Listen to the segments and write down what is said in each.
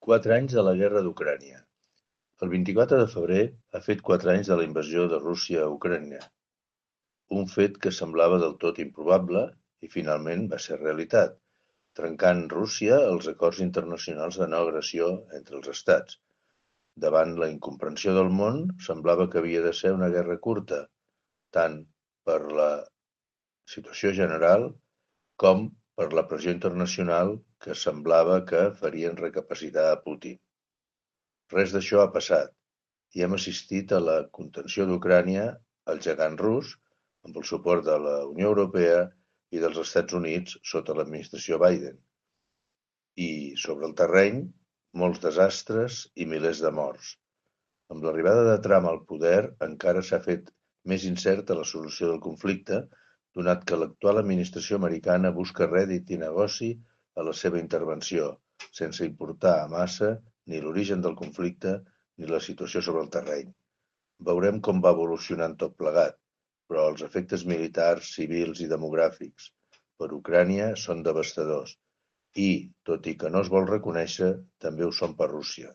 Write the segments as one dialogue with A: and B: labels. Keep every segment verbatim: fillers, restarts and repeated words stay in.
A: Quatre anys de la guerra d'Ucrània. El vint-i-quatre de febrer ha fet quatre anys de la invasió de Rússia a Ucrània, un fet que semblava del tot improbable i finalment va ser realitat, trencant Rússia els acords internacionals de no agressió entre els estats. Davant la incomprensió del món, semblava que havia de ser una guerra curta, tant per la situació general com per la pressió internacional que semblava que farien recapacitar a Putin. Res d'això ha passat i hem assistit a la contenció d'Ucrània al gegant rus amb el suport de la Unió Europea i dels Estats Units sota l'administració Biden. I, sobre el terreny, molts desastres i milers de morts. Amb l'arribada de Trump al poder encara s'ha fet més incerta la solució del conflicte, donat que l'actual administració americana busca rèdit i negoci a la seva intervenció, sense importar a massa ni l'origen del conflicte ni la situació sobre el terreny. Veurem com va evolucionant tot plegat, però els efectes militars, civils i demogràfics per Ucrània són devastadors i, tot i que no es vol reconèixer, també ho són per Rússia,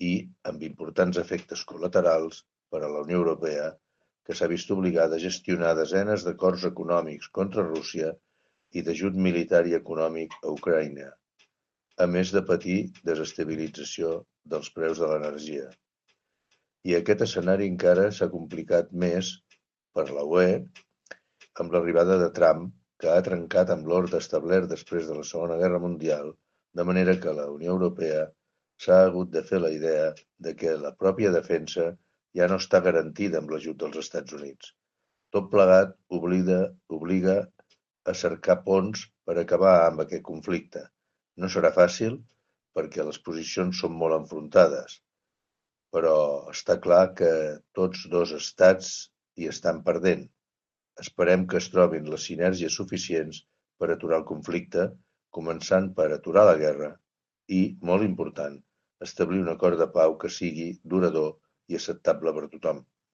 A: i amb importants efectes col·laterals per a la Unió Europea, que s'ha vist obligada a gestionar desenes d'acords econòmics contra Rússia i d'ajut militar i econòmic a Ucraïna, a més de patir desestabilització dels preus de l'energia. I aquest escenari encara s'ha complicat més per la U E amb l'arribada de Trump, que ha trencat amb l'ordre establert després de la Segona Guerra Mundial, de manera que la Unió Europea s'ha hagut de fer la idea de que la pròpia defensa ja no està garantida amb l'ajut dels Estats Units. Tot plegat obliga, obliga a cercar ponts per acabar amb aquest conflicte. No serà fàcil perquè les posicions són molt enfrontades, però està clar que tots dos estats hi estan perdent. Esperem que es trobin les sinergies suficients per aturar el conflicte, començant per aturar la guerra i, molt important, establir un acord de pau que sigui durador i acceptable per tothom.